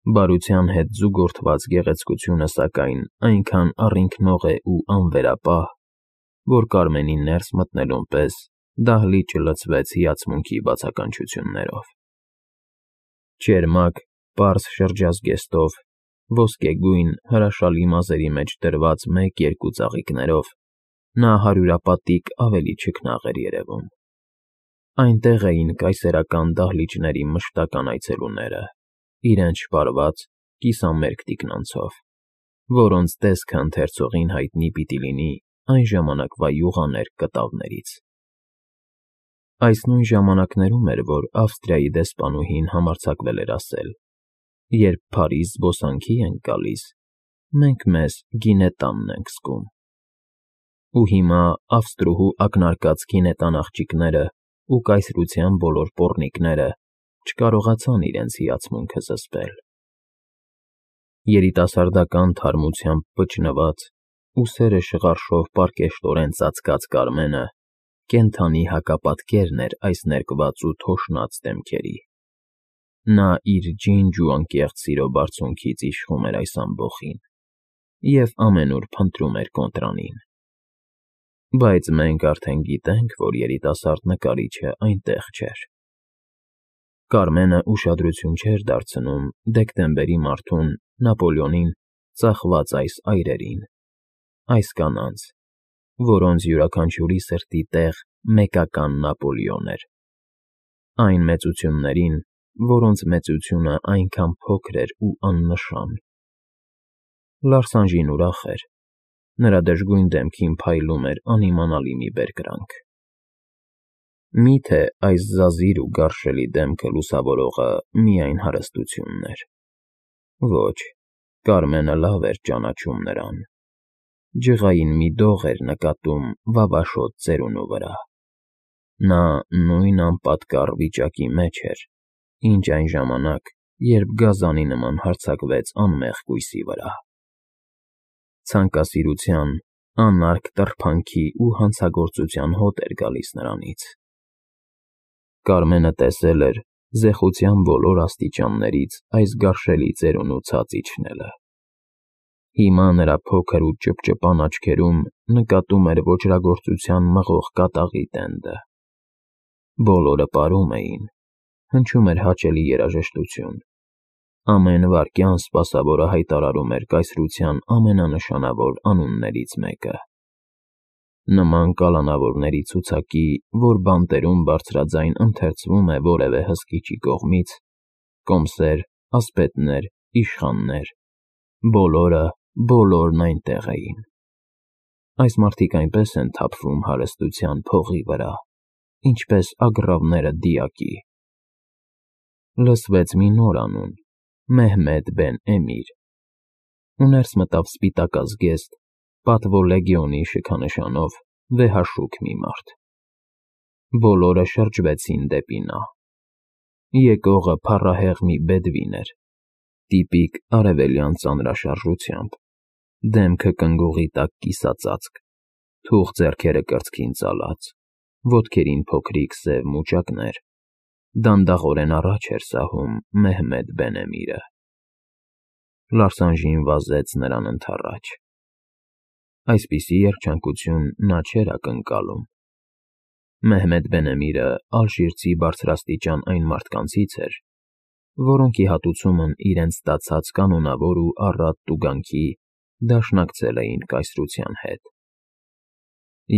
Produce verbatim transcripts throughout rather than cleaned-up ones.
Բարության հետ զուգորդված գեղեցկությունը, սակայն, այնքան առինքնող է ու անվերապահ, որ Կարմենին ներս մտնելուն պես դահլիճը լցվեց հիացմունքի բացականչություններով. ճերմակ, պարզ շրջազգեստով, ոսկեգույն, հրաշալի մազերի մեջ դրված մեկ֊երկու ծաղիկներով նա հարյուրապատիկ ավելի չքնաղ էր երևում։ Այնտեղ էին կայսերական դահլիճների մշտական այցելուները, իրենց շպարված, կիսամերկ թիկնոնցով, որոնց տեսքը ընթերցողին հայտնի պիտի լինի այն ժամանակվա յուղաներկ կտավներից։ Այս նույն ժամանակներում էր, որ Ավստրիայի դեսպանուհին համարձակվել էր ասել. «Երբ Փարիզ զբոսանքի ենք գալիս, մենք մեզ գինետանն ենք զգում»։ Ու հիմա ավստրուհու ակնարկած գինետան աղջիկները ու կայսրության բոլոր պոռնիկները չկարողացան իրենց հիացմունքը զսպել։ Երիտասարդական թարմությամբ վճնված, ուսերը շղարշով պարկեշտորեն ծածկած Կարմենը կենդանի հակապատկերն էր այս ներկված ու թոշնած դեմքերի։ Նա իր ջինջ ու անկեղծ սիրո բարձունքից իշխում էր այս ամբոխին և ամենուր փնտրում էր կոնտրանին։ Բայց մենք արդեն գիտենք, որ երիտասարդ նկարիչը այնտեղ չէր։ Կարմենը ուշադրություն չէր դարձնում դեկտեմբերի մարդուն, Նապոլեոնին ծախված այս այրերին, այս կանանց, որոնց յուրաքանչյուրի սրտի տեղ մեկական Նապոլեոն էր, այն մեծություններին, որոնց մեծությունը այնքան փոքր էր ու աննշան։ Լարսանժին ուրախ էր, նրա դժգույն դեմքին փայլում էր անիմանալի մի բերկրանք։ Մի՞թե այս զազիր ու գարշելի դեմքը լուսավորողը միայն հարստությունն էր։ Ոչ, Կարմենը լավ էր ճանաչում նրան։ Ջղային մի դող էր նկատում վավաշոտ ծերունու վրա։ Նա նույն անպատկառ վիճակի մեջ էր, ինչ այն ժամանակ, երբ գազանի նման հարձակվեց անմեղ կույսի վրա։ Ցանկասիրության, անարգ տրփանքի ու հանցագործության հոտ էր գալիս նրանից։ Կարմենը տեսել էր զեխության բոլոր աստիճաններից այս գարշելի ծերունու ցած իջնելը։ Հիմա նրա փոքր ու ճպճպան աչքերում նկատում էր ոճրագործության մղող կատաղի տենդը։ Բոլորը պարում էին, հնչում էր հաճելի երաժշտություն։ Ամեն վայրկյան սպասավորը հայտարարում էր կայսրության ամենանշանավոր անուններից մեկը։ Նման կալանավորների ցուցակի, որ բանտերում բարձրաձայն ընթերցվում է որևէ հսկիչի կողմից, կոմսեր, ասպետներ, իշխաններ, բոլորը, բոլորն այնտեղ էին։ Այս մարդիկ այնպես են թափվում հարստության փողի վրա, ինչպես ագռավները դիակի։ Լսվեց մի նոր անուն՝ Մեհմեդ բեն֊Էմիր, ու ներս մտավ սպիտակազգեստ, պատվո լեգիոնի շքանշանով վեհաշուք մի մարդ։ Բոլորը շրջվեցին դեպի նա։ Եկողը փառահեղ մի բեդվին էր, տիպիկ արևելյան ծանրաշարժությամբ, դեմքը կնգուղի տակ կիսածածկ, թուխ ձեռքերը կրծքին ծալած, ոտքերին փոքրիկ սև մուճակներ, դանդաղորեն առաջ էր սահում Մեհմեդ բեն֊Էմիրը։ Լարսանժին վազեց նրան ընդառաջ։ Այսպիսի երջանկություն նա չէր ակնկալում։ Մեհմեդ բեն֊Էմիրը ալժիրցի բարձրաստիճան այն մարդկանցից էր, որոնք ի հատուցումն իրենց ստացած կանոնավոր ու առատ տուգանքի դաշնակցել էին կայսրության հետ։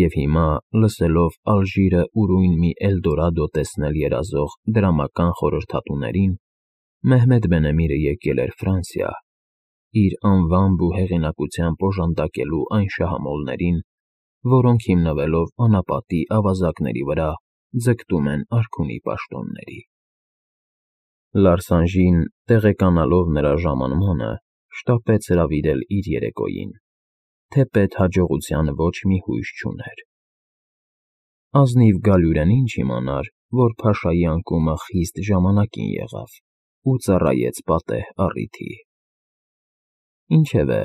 Եվ հիմա, լսելով Ալժիրը ուրույն մի Էլդորադո տեսնել երազող դրամական խորհրդատուներին, Մեհմեդ բեն֊Էմիրը եկել էր Ֆրանսիա՝ իր անվամբ ու հեղինակությամբ օժանդակելու այն շահամոլներին, որոնք հիմնվելով անապատի ավազակների վրա ձգտում են արքունի պաշտոնների։ Լարսանժին, տեղեկանալով նրա ժամանմանը, շտապեց հրավիրել իր երեկոյին, թեպետ հաջողության ոչ մի հույս չուներ։ Ազնիվ Գալյուրեն ինչ իմանար, որ փաշայի անկումը խիստ ժամանակին եղավ ու ծառայեց պատեհ առիթի։ Ինչևէ,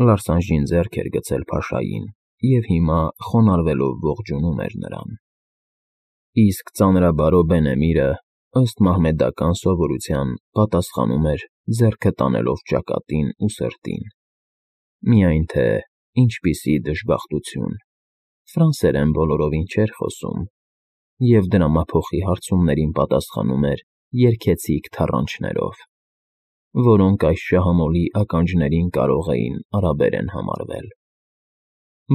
Լարսանժին ձեռք էր գցել փաշային և հիմա խոնարհվելով ողջունում էր նրան։ Իսկ ծանրաբարո Բեն֊Էմիրը ըստ մահմեդական սովորության պատասխանում էր ձեռքը տանելով ճակատին ու սրտին։ Միայն թե ինչպիսի դժբախտություն, ֆրանսերեն բոլորովին չէր խոսում, և դրամափոխի հարցումներին պատասխանում էր երգեցիկ թառանչներով, որոնք այս շահամոլի ականջներին կարող էին արաբերեն համարվել։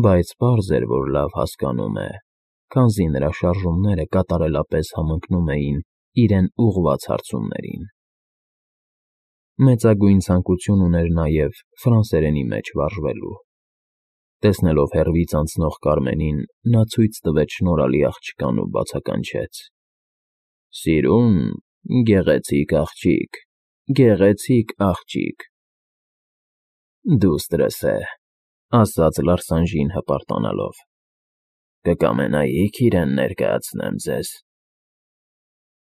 Բայց պարզ էր, որ լավ հասկանում է, քանզի նրա շարժումները կատարելապես համընկնում էին իրեն ուղղված հարցումներին։ Մեծագույն ցանկություն ուներ նաև ֆրանսերենի մեջ վարժվելու։ Տեսնելով հեռվից անցնող Կարմենին, նա ցույց տվեց շնորհալի աղջկան ու բացականչեց. «Սիրուն, գեղեցիկ աղջիկ, գեղեցիկ աղջիկ»։ «Դուստրս է», ասաց Լարսանժին հպարտանալով։ «Կկամենայիք իրեն ներկայացնեմ ձեզ»։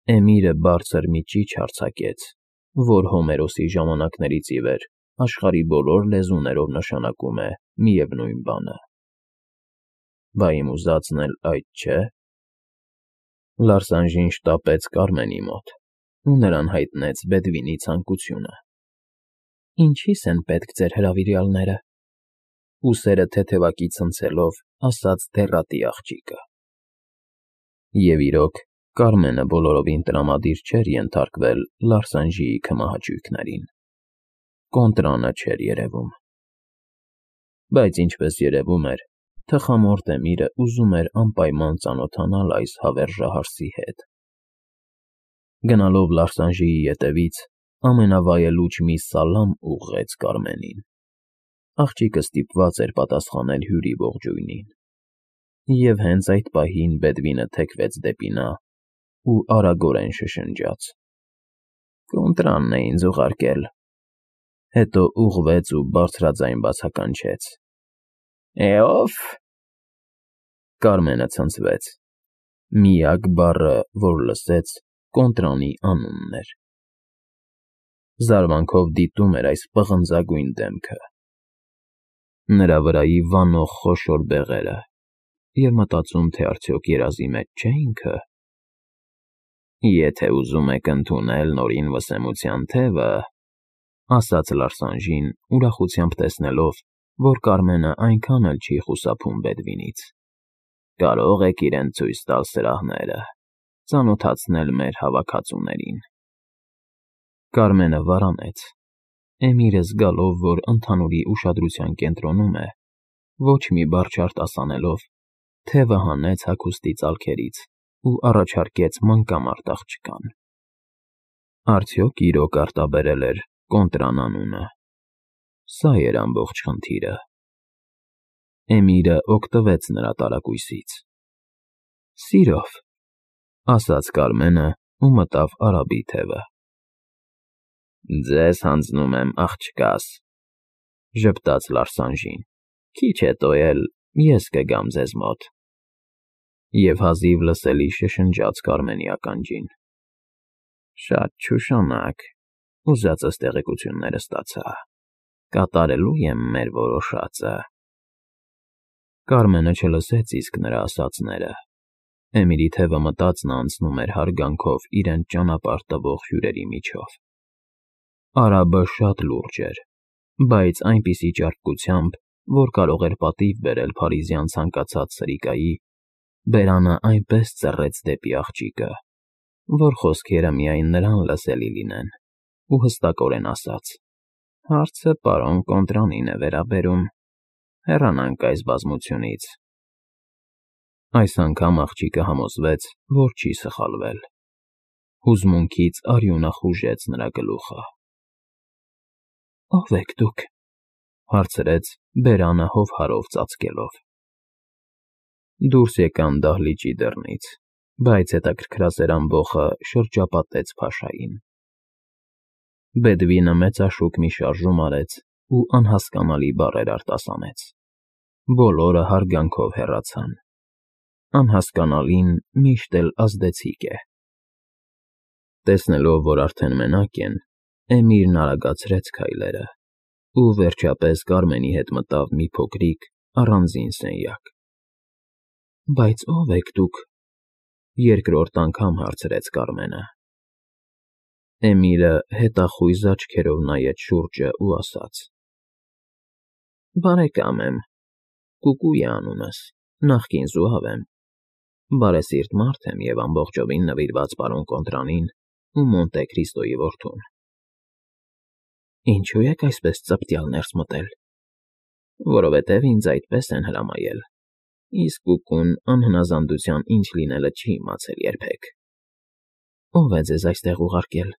Էմիրը բարձր մի ճիչ արձակեց, որ Հոմերոսի ժամանակներից ի վեր աշխարհի բոլոր լեզուներով նշանակում է միևնույն բանը։ «Բա իմ ուզածն էլ այդ չէ՞։ Լարսանժին շտապեց Կարմենի մոտ ու նրան հայտնեց Բեդվինի ցանկությունը։ «Ինչի՞ս են պետք ձեր հրավիրյալները», ուսերը թեթևակի ցնցելով ասաց դեռատի աղջիկը։ Եվ իրոք, Կարմենը բոլորովին տրամադիր չէր ենթարկվել Լարսանժիի քմահաճույքներին։ Կոնտրանը չէր երևում։ Բայց ինչպես երևում էր, թխամորթ Էմիրը ուզում էր անպայման ծանոթանալ այս հավերժահարսի հետ։ Գնալով Լարսանժիի ետևից, ամենավայելուչ մի սալամ ուղղեց Կարմենին։ Աղջիկը ստիպված էր պատասխանել հյուրի ողջույնին։ Եվ հենց այդ պահին Բեդվինը թեքվեց դեպի նա ու արագորեն շշնջաց. «Կոնտրանն է ինձ ուղարկել»։ Հետո ուղղվեց ու բարձրաձայն բացականչեց. «Է, ո՞վ»։ Կարմենը ցնցվեց։ Միակ բառը, որ լսեց, կոնտրանի անունն էր։ Զարմանքով դիտում էր այս պղնձագույն դեմքը, նրա վրայի վանող խոշոր բեղերը և մտածում, թե արդյոք երազի մեջ չէ՞ ինքը։ «Եթե ուզում եք ընդունել Նորին Վսեմության թևը», ասաց Լարսանժին, ուրախությամբ տեսնելով, որ Կարմենը այնքան էլ չի խուսափում Բեդվինից, «կարող եք իրեն ցույց տալ սրահները, ծանոթացնել մեր հավաքածուներին»։ Կարմենը վարանեց։ Էմիրը զգալով, որ ընդհանուրի ուշադրության կենտրոնում է, ոչ մի բառ չարտասանելով, թևը հանեց հագուստի ծալքերից ու առաջարկեց մանկամարտ աղջկան։ Արդյոք իրոք արտաբերել էր կոնտրան անունը։ Սա էր ամբողջ խնդիրը։ Էմիրը օգտվեց նրա տարակույսից։ «Սիրով», ասաց Կարմենը ու մտավ արաբի թևը։ «Ձեզ հանձնում եմ աղջկաս», ժպտաց Լարսանժին, «քիչ հետո էլ ես կգամ ձեզ մոտ»։ Եվ հազիվ լսելի շշնջաց Կարմենի ականջին. «Շատ չուշանակ, ուզածս տեղեկությունները ստացա, կատարելու եմ մեր որոշածը»։ Կարմենը չլսեց իսկ նրա ասածները։ Էմիրի թևը մտած նա անցնում էր հարգանքով իրեն ճանապարհ տվող հյուրերի միջով։ Արաբը շատ լուրջ էր, բայց այնպիսի ճարպկությամբ, որ կարող էր պատիվ բերել փարիզյան ցանկացած սրիկայի, բերանը այնպես ծռեց դեպի աղջիկը, որ խոսքերը միայն նրան լսելի լինեն, ու հստակորեն ասաց. «Հարցը պարոն Կոնտրանին է վերաբերում, հեռանանք այս բազմությունից»։ Այս անգամ աղջիկը համոզվեց, որ չի սխալվել։ Հուզմունքից արյունը խուժեց նրա գլուխը։ «Ո՞վ եք դուք», հարցրեց բերանը հովհարով ծածկելով։ Դուրս եկան դահլիճի դռնից, բայց հետաքրքրասեր ամբոխը շրջապատեց փաշային։ Բեդվինը մեծաշուկ մի շարժում արեց ու անհասկանալի բառեր արտասանեց։ Բոլորը հարգանքով հեռացան։ Անհասկանալին միշտ էլ ազդեցիկ է։ Տեսնելով, որ արդեն մենակ են, Էմիրն արագացրեց քայլերը ու վերջապես Կարմենի հետ մտավ մի փոքրիկ, առանձին սենյակ։ «Բայց ո՞վ եք դուք», երկրորդ անգամ հարցրեց Կարմենը։ Էմիլը հետախույզ աչքերով նայեց շուրջը ու ասաց. Բարեկամ եմ, Կուկու է անունս, նախկին զուհավ եմ, բարեսիրտ մարդ եմ և ամբողջովին նվիրված պարոն Կոնտրանին ու Մոնտե Քրիստոյի որդուն։ Ինչո՞ւ եք այսպես ծպտյալ ներս մտել։ Որովհետև ինձ այդպես են հրամայել, իսկ Կուկուն անհնազանդության ինչ լինելը չի իմացել երբեք։ Ո՞վ է ձեզ այստեղ ուղարկել։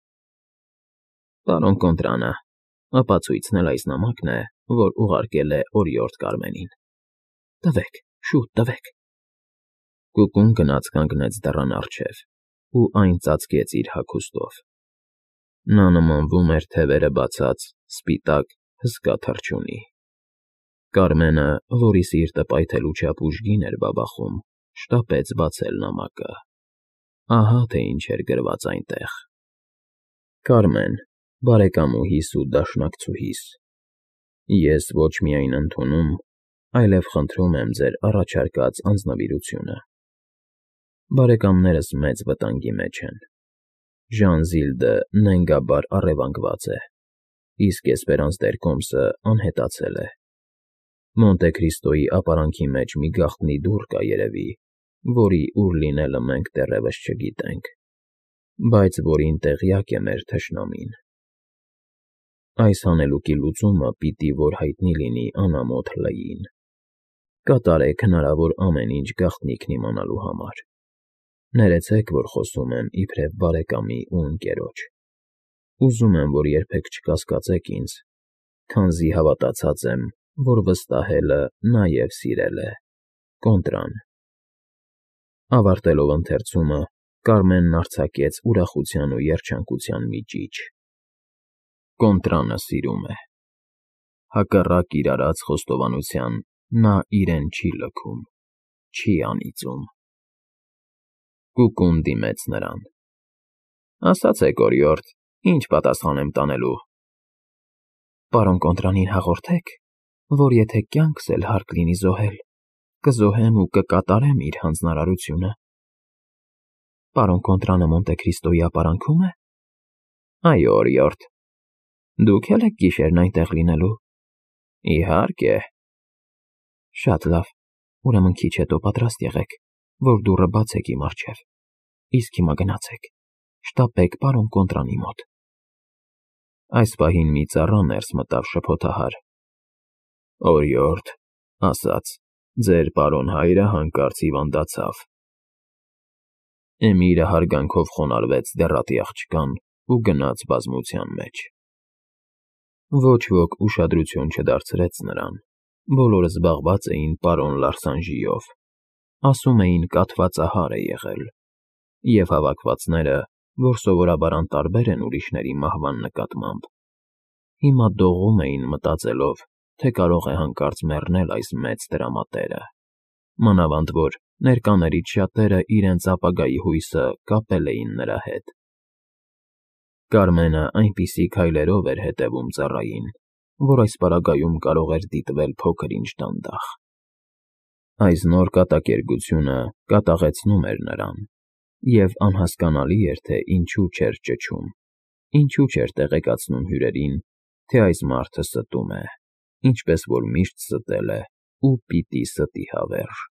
Պարոն Կոնտրանը, ապացույցն էլ այս նամակն է, որ ուղարկել է օրիորդ Կարմենին։ Տվեք, շուտ տվեք։ Կուկուն գնաց կանգնեց դռան առջև ու այն ծածկեց իր հագուստով։ Նա նմանվում էր թևերը բացած, սպիտակ, հսկա թռչունի։ Կարմենը, որի սիրտը պայթելու չափ ուժգին էր բաբախում, շտապեց բացել նամակը։ Ահա թե ինչ էր գրված այնտեղ. Կարմեն, բարեկամուհիս ու դաշնակցուհիս, ես ոչ միայն ընդունում, այլև խնդրում եմ ձեր առաջարկած անձնվիրությունը։ Բարեկամներս մեծ վտանգի մեջ են։ Ժանզիլդը նենգաբար առևանգված է, իսկ Էսպերանս դեր Կոմսը անհետացել է։ Մոնտե Քրիստոյի ապարանքի մեջ մի գաղտնի դուռ կա երևի, որի ուր լինելը մենք դեռևս չգիտենք, բայց որին տեղյակ է մեր թշնամին։ Այս հանելուկի լուծումը պիտի որ հայտնի լինի անամոթ Լեին։ Կատարեք հնարավոր ամեն ինչ գաղտնիքն իմանալու համար։ Ներեցեք, որ խոսում եմ իբրև բարեկամի ու ընկերոջ։ Ուզում եմ, որ երբեք չկասկածեք ինձ, քանզի հավատացած եմ, որ վստահելը նաև սիրել է։ Կոնտրան։ Ավարտելով ընթերցումը, Կարմենն արձակեց ուրախության ու երջանկության մի ճիչ։ Կոնտրանը սիրում է։ Հակառակ իր արած խոստովանության նա իրեն չի լքում, չի անիծում։ Կուկուն դիմեց նրան. Ասացեք, օրիորդ, ինչ պատասխան եմ տանելու։ Պարոն Կոնտրանին հաղորդեք, որ եթե կյանքս էլ հարկ լինի զոհել, կզոհեմ ու կկատարեմ իր հանձնարարությունը։ Պարոն Կոնտրանը Մոնտե Քրիստոյի ապարանքո՞ւմ է։ Այո, օրիորդ։ Դուք էլ եք գիշերն այնտեղ լինելու։ Իհարկե։ Շատ լավ, ուրեմն քիչ հետո պատրաստ եղեք, որ դուռը բացեք իմ առջև։ Իսկ հիմա գնացեք, շտապեք պարոն Կոնտրանի մոտ։ Այս պահին մի ծառա ներս մտավ շփոթահար։ Օրիորդ, ասաց, ձեր պարոն հայրը հանկարծ հիվանդացավ։ Էմիրը հարգանքով խոնարհվեց դեռատի աղջկան ու գնաց բազմության մեջ։ Ոչ ոք ուշադրություն չդարձրեց նրան, բոլորը զբաղված էին պարոն Լարսանժիով, ասում էին կաթվածահար է եղել, և հավաքվածները, որ սովորաբար անտարբեր են ուրիշների մահվան նկատմամբ, հիմա դողում էին մտածելով, թե կարող է հանկարծ մեռնել այս մեծ տրամատերը, մանավանդ որ ներկաներից շատերը իրենց ապագայի հույսը կապել էին նրա հետ։ Կարմենը այնպիսի քայլերով էր հետևում ծառային, որ այս պարագայում կարող էր դիտվել փոքր-ինչ դանդաղ։ Այս նոր կատակերգությունը կատաղեցնում էր նրան, և անհասկանալի էր, թե ինչու չէր ճչում, ինչու չէր տեղեկացնում հյուրերին, թե այս մարդը ստում է, ինչպես որ միշտ ստել է ու պիտի ստի հավերժ։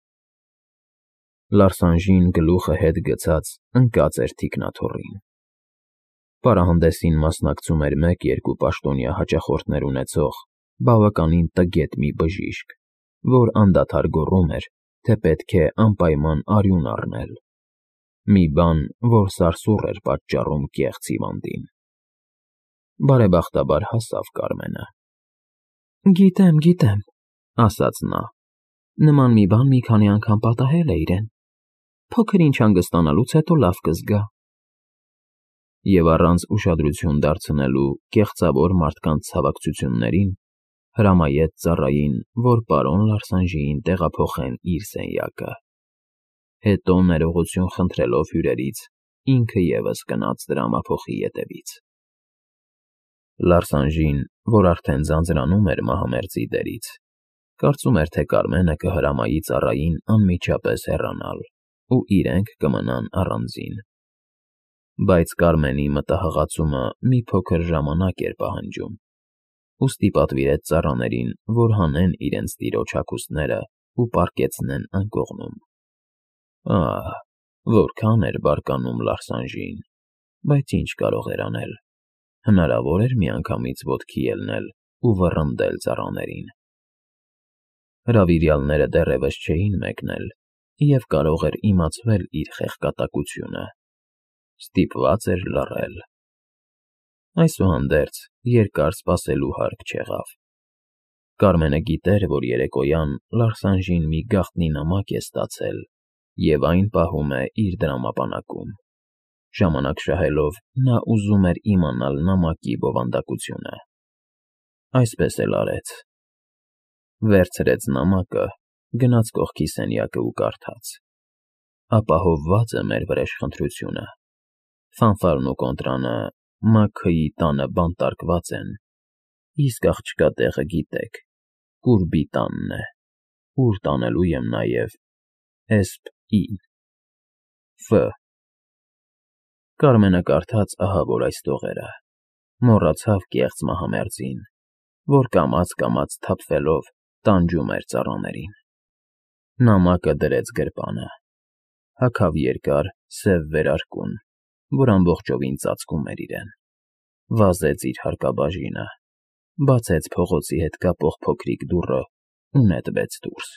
Լարսանժին գլուխը հետ գցած ընկած էր թիկնաթոռին։ Պարահանդեսին մասնակցում էր մեկ֊երկու պաշտոնյա հաճախորդներ ունեցող, բավականին տգետ մի բժիշկ, որ անդադար գոռում էր, թե պետք է անպայման արյուն առնել։ Մի բան, որ սարսուռ էր պատճառում կեղծ հիվանդին։ Բարեբախտաբար հասավ Կարմենը։ Գիտեմ, գիտեմ, ասաց նա։ Նման մի բան մի քանի անգամ պատահել է իրեն։ Փոքր-ինչ հանգստանալուց հետո լավ կզգա։ Եվ առանց ուշադրություն դարձնելու կեղծավոր մարդկանց ցավակցություններին, հրամայեց ծառային, որ պարոն Լարսանժիին տեղափոխեն իր սենյակը։ Հետո ներողություն խնդրելով հյուրերից, ինքը ևս գնաց դրամափոխի ետևից։ Լարսանժին, որ արդեն ձանձրանում էր մահամերձի դերից, կարծում էր, թե Կարմենը կհրամայի ծառային անմիջապես հեռանալ, ու իրենք կմնան առանձին։ Բայց Կարմենի մտահղացումը մի փոքր ժամանակ էր պահանջում, ուստի պատվիրեց ծառաներին, որ հանեն իրենց տիրոջ հագուստներն ու պառկեցնեն անկողնում։ Ահ, որքան էր բարկանում Լարսանժին, բայց ինչ կարող էր անել. հնարավոր էր միանգամից ոտքի ելնել ու վռնդել ծառաներին։ Հրավիրյալները դեռևս չէին մեկնել, և կարող էր իմացվել իր խեղճատակությունը։ Ստիպված էր լռել։ Այսուհանդերձ, երկար սպասելու հարկ չեղավ։ Կարմենը գիտեր, որ երեկոյան Լարսանժին մի գաղտնի նամակ է ստացել և այն պահում է իր դրամապանակում։ Ժամանակ շահելով՝ նա ուզում էր իմանալ նամակի բովանդակությունը։ Այսպես էլ արեց. վերցրեց նամակը, գնաց կողքի սենյակը ու կարդաց. «Ապահովված է մեր վրեժխնդրությունը։ Ֆանֆարն ու Կոնտրանը Մաքքըի տանը բանտարկված են, իսկ աղջկա տեղը գիտեք, Կուրբի տանն է, ուր տանելու եմ նաև Էսպ֊ին։ Ֆ»։ Կարմենը կարդաց ահա որ այս տողերը, մոռացավ կեղծ մահամերձին, որ կամաց֊կամաց սթափվելով տանջում էր ծառաներին։ Նամակը դրեց գրպանը, հագավ երկար սև վերարկուն, որ ամբողջովին ծածկում էր իրեն, վազեց իր հարկաբաժինը, բացեց փողոցի հետ կապող փոքրիկ դուռն ու նետվեց դուրս։